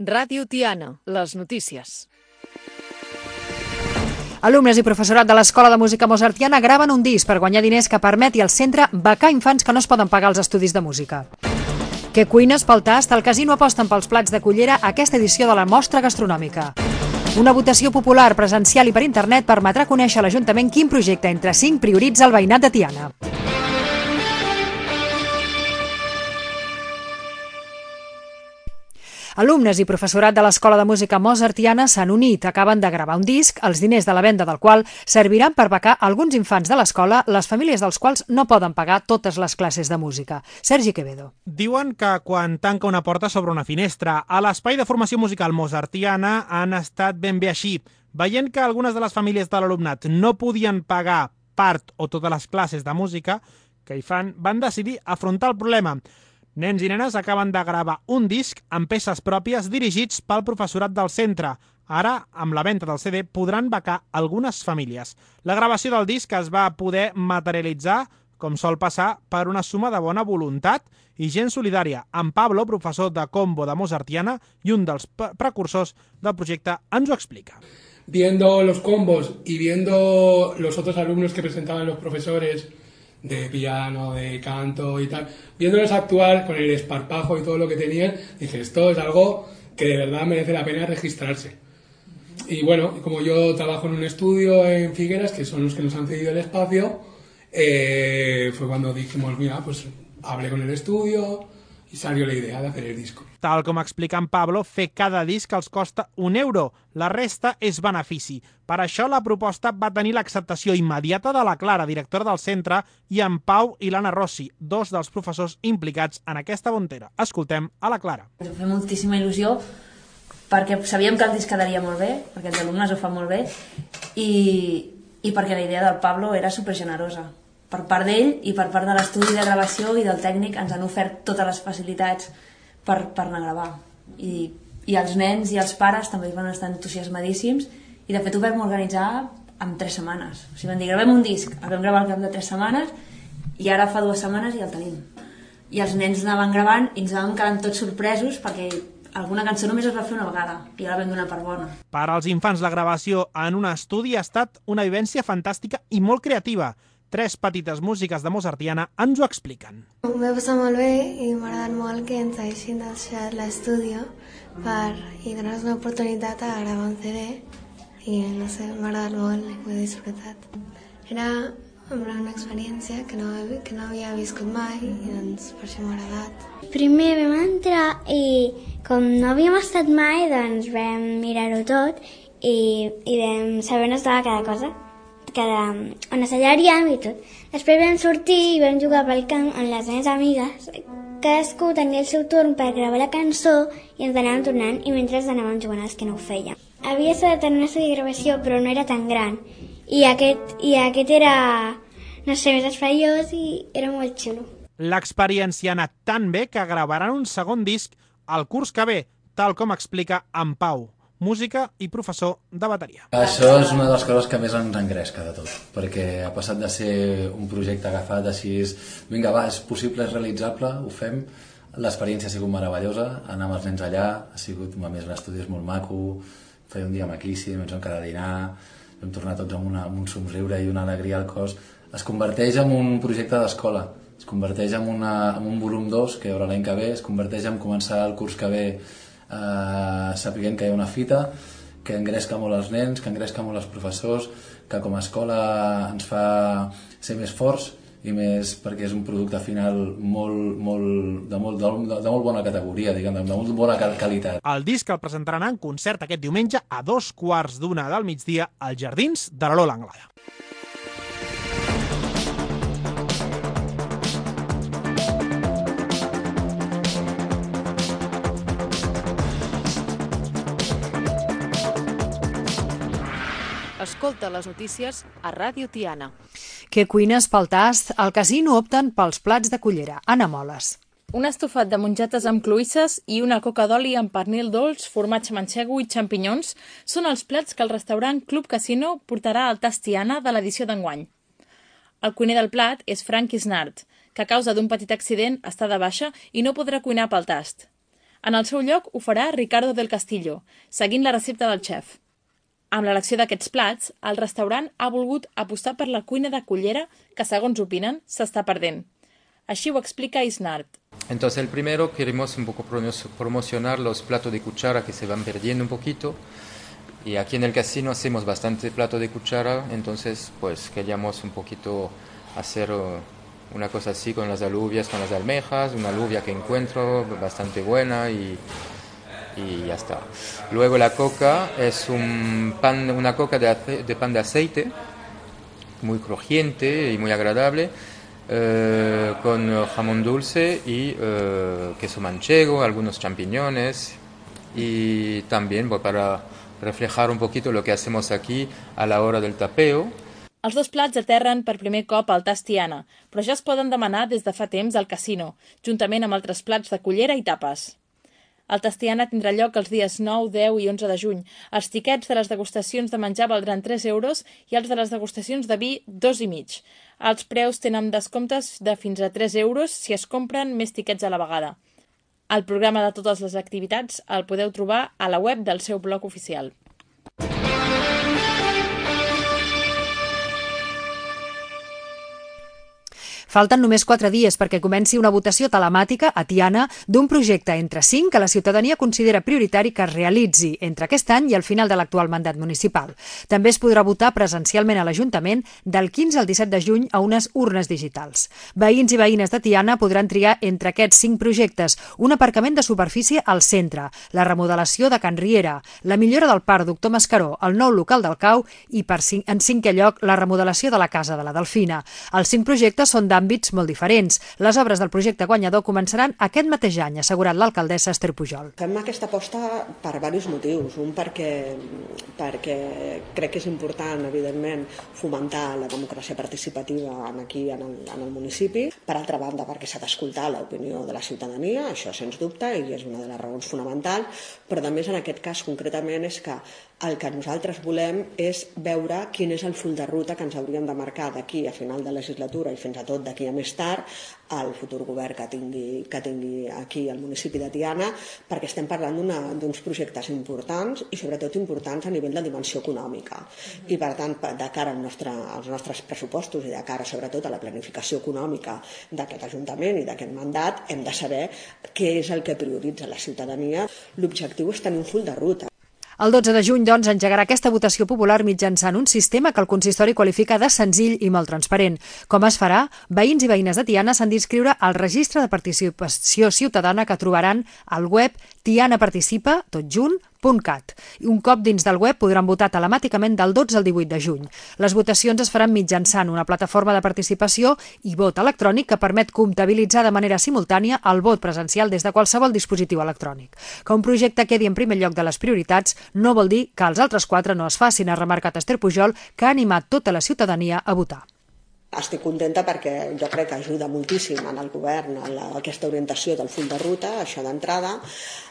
Ràdio Tiana, les notícies. Alumnes i professorat de l'Escola de Música Mozartiana graven un disc per guanyar diners que permeti al centre becar infants que no es poden pagar els estudis de música. Que cuines pel tast, el casino aposten pels plats de cullera a aquesta edició de la mostra gastronòmica. Una votació popular presencial i per internet permetrà conèixer a l'Ajuntament quin projecte entre 5 prioritza el veïnat de Tiana. Alumnes i professorat de l'Escola de Música Mozartiana s'han unit, acaben de gravar un disc, els diners de la venda del qual serviran per becar alguns infants de l'escola, les famílies dels quals no poden pagar totes les classes de música. Sergi Quevedo. Diuen que quan tanca una porta s'obre una finestra. A l'espai de formació musical Mozartiana han estat ben bé així. Veient que algunes de les famílies de l'alumnat no podien pagar part o totes les classes de música que hi fan, van decidir afrontar el problema. Nens i nenes acaben de gravar un disc amb peces pròpies dirigits pel professorat del centre. Ara, amb la venda del CD, podran becar algunes famílies. La gravació del disc es va poder materialitzar, com sol passar, per una suma de bona voluntat i gent solidària. En Pablo, professor de combo de Mozartiana i un dels precursors del projecte, ens ho explica. Viendo los combos y viendo los otros alumnos que presentaban los profesores de piano, de canto y tal, viéndolos actuar con el esparpajo y todo lo que tenían, dije, esto es algo que de verdad merece la pena registrarse. Y bueno, como yo trabajo en un estudio en Figueras, que son los que nos han cedido el espacio, fue cuando dijimos, mira, pues hablé con el estudio i salió la idea de hacer el disco. Tal com explica en Pablo, fer cada disc els costa €1. La resta és benefici. Per això la proposta va tenir l'acceptació immediata de la Clara, directora del centre, i en Pau i l'Anna Rossi, dos dels professors implicats en aquesta bontera. Escoltem a la Clara. Ens fa moltíssima il·lusió perquè sabíem que el disc quedaria molt bé, perquè els alumnes ho fan molt bé, i perquè la idea del Pablo era supergenerosa. Per part d'ell i per part de l'estudi de gravació i del tècnic ens han ofert totes les facilitats per anar a gravar. I els nens i els pares també van estar entusiasmadíssims i de fet ho vam organitzar en 3 setmanes. O sigui, vam dir, gravem un disc, el vam gravar al cap de 3 setmanes i ara fa 2 setmanes i el tenim. I els nens anaven gravant i ens anaven quedant tots sorpresos perquè alguna cançó només es va fer una vegada i ja la vam donar per bona. Per als infants la gravació en un estudi ha estat una vivència fantàstica i molt creativa. 3 petites músiques de Mozartiana ens ho expliquen. M'ho va passar molt bé i m'ha agradat molt que ens haguessin deixat l'estudi i donar-nos una oportunitat a gravar un CD i no sé, m'ha agradat molt i ho he disfrutat. Era una experiència que no havia viscut mai i doncs per això m'ha agradat. Primer vam entrar i com no havíem estat mai doncs vam mirar-ho tot i vam saber on estava cada cosa, on assajaríem i tot. Després vam sortir i vam jugar pel camp amb les meves amigues. Cadascú tenia el seu torn per gravar la cançó i ens anàvem tornant i mentre anàvem jugant els que no ho feien. Havia estat en un estudi de gravació però no era tan gran i aquest era, no sé, més espaiós i era molt xulo. L'experiència ha anat tan bé que gravaran un segon disc al curs que ve, tal com explica en Pau, música i professor de bateria. Això és una de les coses que més ens engresca de tot, perquè ha passat de ser un projecte agafat així, vinga va, és possible, és realitzable, ho fem, l'experiència ha sigut meravellosa, anar amb els nens allà, ha sigut, a més l'estudi és molt maco, feia un dia maquíssim, ens vam quedar a dinar, vam tornar tots amb un somriure i una alegria al cos. Es converteix en un projecte d'escola, es converteix en un volum 2 que hi haurà l'any que ve, es converteix en començar el curs que ve sapiguent que hi ha una fita, que engresca molt els nens, que engresca molt els professors, que com a escola ens fa ser més forts i més perquè és un producte final de molt bona categoria, diguem, de molt bona qualitat. El disc el presentaran en concert aquest diumenge a 14:15 del migdia als Jardins de l'Alola Anglada. Escolta les notícies a Ràdio Tiana. Que cuines pel tast, al casino opten pels plats de cullera. Anna Moles. Un estofat de mongetes amb cloïsses i una coca d'oli amb pernil dolç, formatge manxego i xampinyons són els plats que el restaurant Club Casino portarà al tast Tiana de l'edició d'enguany. El cuiner del plat és Frank Isnart, que a causa d'un petit accident està de baixa i no podrà cuinar pel tast. En el seu lloc ho farà Ricardo del Castillo, seguint la recepta del xef. Amb l'elecció d'aquests plats, el restaurant ha volgut apostar per la cuina de cullera que, segons opinen, s'està perdent. Així ho explica Isnart. Entonces, el primero queremos un poco promocionar los platos de cuchara que se van perdiendo un poquito. Y aquí en el casino hacemos bastante plato de cuchara, entonces pues queríamos un poquito hacer una cosa así con las alubias, con las almejas, una alubia que encuentro bastante buena y ya está. Luego la coca es una coca de pan de aceite, muy crujiente y muy agradable, con jamón dulce y queso manchego, algunos champiñones y también para reflejar un poquito lo que hacemos aquí a la hora del tapeo. Els dos plats aterren per primer cop al Tas Tiana, però ja es poden demanar des de fa temps al casino, juntament amb altres plats de cullera i tapes. El Tas Tiana tindrà lloc els dies 9, 10 i 11 de juny. Els tiquets de les degustacions de menjar valdran 3 euros i els de les degustacions de vi 2,5. Els preus tenen descomptes de fins a 3 euros si es compren més tiquets a la vegada. El programa de totes les activitats el podeu trobar a la web del seu blog oficial. Falten només 4 dies perquè comenci una votació telemàtica a Tiana d'un projecte entre 5 que la ciutadania considera prioritari que es realitzi entre aquest any i el final de l'actual mandat municipal. També es podrà votar presencialment a l'Ajuntament del 15 al 17 de juny a unes urnes digitals. Veïns i veïnes de Tiana podran triar entre aquests 5 projectes: un aparcament de superfície al centre, la remodelació de Can Riera, la millora del parc Doctor Mascaró, el nou local del Cau i, en 5è lloc, la remodelació de la Casa de la Delfina. Els 5 projectes són d'àmbits molt diferents. Les obres del projecte guanyador començaran aquest mateix any, ha assegurat l'alcaldessa Esther Pujol. Fem aquesta aposta per diversos motius. Un perquè crec que és important, evidentment, fomentar la democràcia participativa aquí en el municipi. Per altra banda, perquè s'ha d'escoltar l'opinió de la ciutadania, això sens dubte, i és una de les raons fonamentals, però a més en aquest cas concretament és que el que nosaltres volem és veure quin és el full de ruta que ens hauríem de marcar d'aquí a final de legislatura i fins a tot d'aquí a més tard al futur govern que tingui aquí al municipi de Tiana, perquè estem parlant d'uns projectes importants i sobretot importants a nivell de dimensió econòmica. I per tant, de cara als nostres pressupostos i de cara sobretot a la planificació econòmica d'aquest Ajuntament i d'aquest mandat, hem de saber què és el que prioritza la ciutadania. L'objectiu és tenir un full de ruta. El 12 de juny, doncs, engegarà aquesta votació popular mitjançant un sistema que el consistori qualifica de senzill i molt transparent. Com es farà? Veïns i veïnes de Tiana s'han d'inscriure al registre de participació ciutadana que trobaran al web tianaparticipa.cat. Un cop dins del web podran votar telemàticament del 12 al 18 de juny. Les votacions es faran mitjançant una plataforma de participació i vot electrònic que permet comptabilitzar de manera simultània el vot presencial des de qualsevol dispositiu electrònic. Que un projecte quedi en primer lloc de les prioritats no vol dir que els altres 4 no es facin, ha remarcat Esther Pujol, que ha animat tota la ciutadania a votar. Estic contenta perquè jo crec que ajuda moltíssim en el govern aquesta orientació del full de ruta, això d'entrada.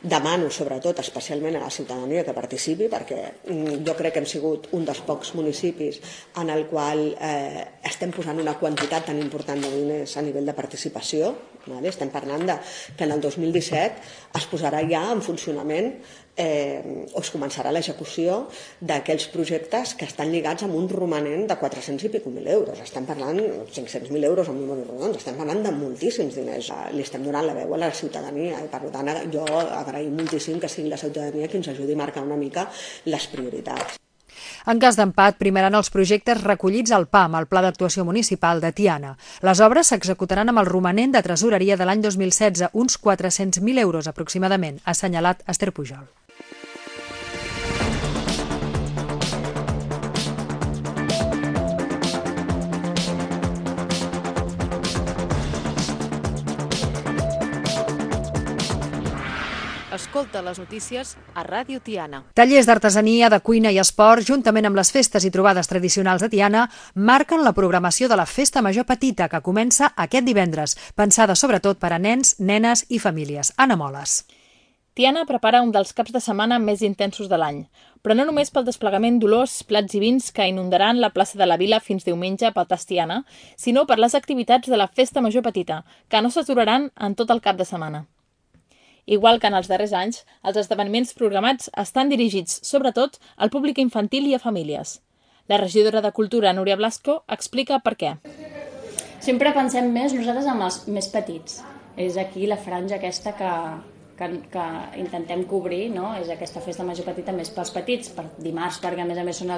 Demano sobretot, especialment a la ciutadania que participi, perquè jo crec que hem sigut un dels pocs municipis en el qual estem posant una quantitat tan important de diners a nivell de participació. Estem parlant que en el 2017 es posarà ja en funcionament o es començarà l'execució d'aquells projectes que estan lligats amb un romanent de 400 i pico mil euros. Estem parlant de 500.000 euros amb números rodons, estem parlant de moltíssims diners. Li estem donant la veu a la ciutadania i per tant jo agraïm moltíssim que sigui la ciutadania qui ens ajudi a marcar una mica les prioritats. En cas d'empat, primaran els projectes recollits al PAM, el Pla d'Actuació Municipal de Tiana. Les obres s'executaran amb el romanent de tresoreria de l'any 2016, uns 400.000 euros aproximadament, ha assenyalat Esther Pujol. Escolta les notícies a Ràdio Tiana. Tallers d'artesania, de cuina i esport, juntament amb les festes i trobades tradicionals de Tiana, marquen la programació de la Festa Major Petita, que comença aquest divendres, pensada sobretot per a nens, nenes i famílies. Anna Moles. Tiana prepara un dels caps de setmana més intensos de l'any, però no només pel desplegament d'olors, plats i vins que inundaran la plaça de la Vila fins diumenge pel Tas Tiana, sinó per les activitats de la Festa Major Petita, que no s'aturaran en tot el cap de setmana. Igual que en els darrers anys, els esdeveniments programats estan dirigits, sobretot, al públic infantil i a famílies. La regidora de Cultura, Núria Blasco, explica per què. Sempre pensem més nosaltres amb els més petits. És aquí la franja aquesta que intentem cobrir, no? És aquesta festa major petita més pels petits, per dimarts, perquè a més són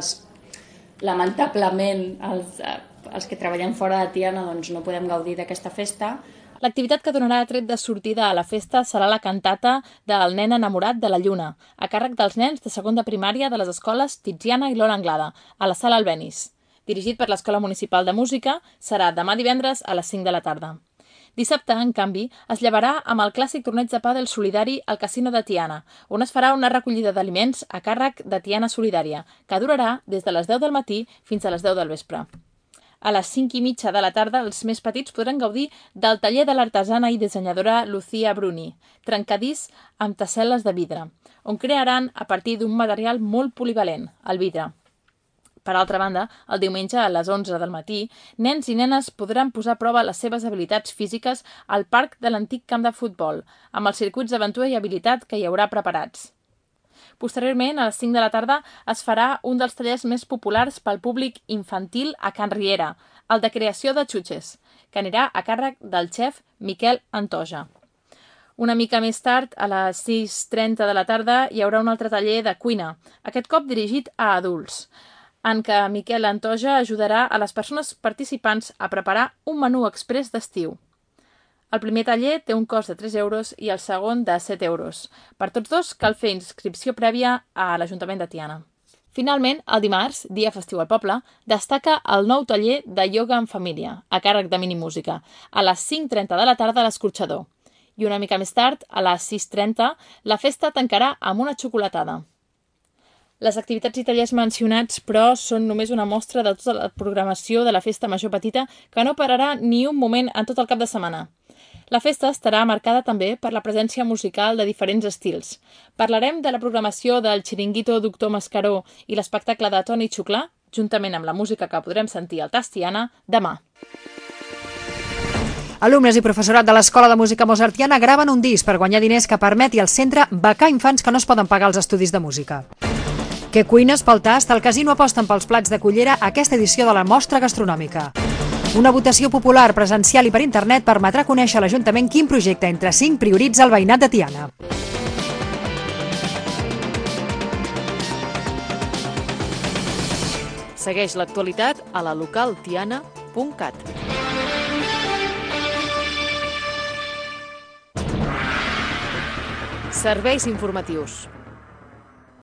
lamentablement, els que treballem fora de Tiana doncs no podem gaudir d'aquesta festa. L'activitat que donarà tret de sortida a la festa serà la cantata del nen enamorat de la lluna, a càrrec dels nens de segon de primària de les escoles Tiziana i Lola Anglada, a la Sala Albéniz. Dirigit per l'Escola Municipal de Música, serà demà divendres a les 5 de la tarda. Dissabte, en canvi, es llevarà amb el clàssic torneig de pàdel solidari al Casino de Tiana, on es farà una recollida d'aliments a càrrec de Tiana Solidària, que durarà des de les 10 del matí fins a les 10 del vespre. A les 5:30 de la tarda, els més petits podran gaudir del taller de l'artesana i dissenyadora Lucía Bruni, trencadís amb tessel·les de vidre, on crearan a partir d'un material molt polivalent, el vidre. Per altra banda, el diumenge a les 11 del matí, nens i nenes podran posar a prova les seves habilitats físiques al parc de l'antic camp de futbol, amb els circuits d'aventura i habilitat que hi haurà preparats. Posteriorment, a les 5 de la tarda, es farà un dels tallers més populars pel públic infantil a Can Riera, el de creació de xutxes, que anirà a càrrec del xef Miquel Antoja. Una mica més tard, a les 6:30 de la tarda, hi haurà un altre taller de cuina, aquest cop dirigit a adults, en què Miquel Antoja ajudarà a les persones participants a preparar un menú exprés d'estiu. El primer taller té un cost de 3 euros i el segon de 7 euros. Per tots dos cal fer inscripció prèvia a l'Ajuntament de Tiana. Finalment, el dimarts, dia festiu al poble, destaca el nou taller de ioga en família, a càrrec de Minimúsica, a les 5:30 de la tarda a l'Escorxador. I una mica més tard, a les 6:30, la festa tancarà amb una xocolatada. Les activitats i tallers mencionats, però, són només una mostra de tota la programació de la Festa Major Petita, que no pararà ni un moment en tot el cap de setmana. La festa estarà marcada també per la presència musical de diferents estils. Parlarem de la programació del Xiringuito Doctor Mascaró i l'espectacle de Toni Xuclà, juntament amb la música que podrem sentir al Tas Tiana, demà. Alumnes i professorat de l'Escola de Música Mozartiana graven un disc per guanyar diners que permeti al centre becar infants que no es poden pagar els estudis de música. Que cuines pel tast, el Casino aposten pels plats de cullera aquesta edició de la mostra gastronòmica. Una votació popular, presencial i per internet permetrà conèixer a l'Ajuntament quin projecte entre 5 prioritza el veïnat de Tiana. Segueix l'actualitat a la localtiana.cat. Serveis informatius.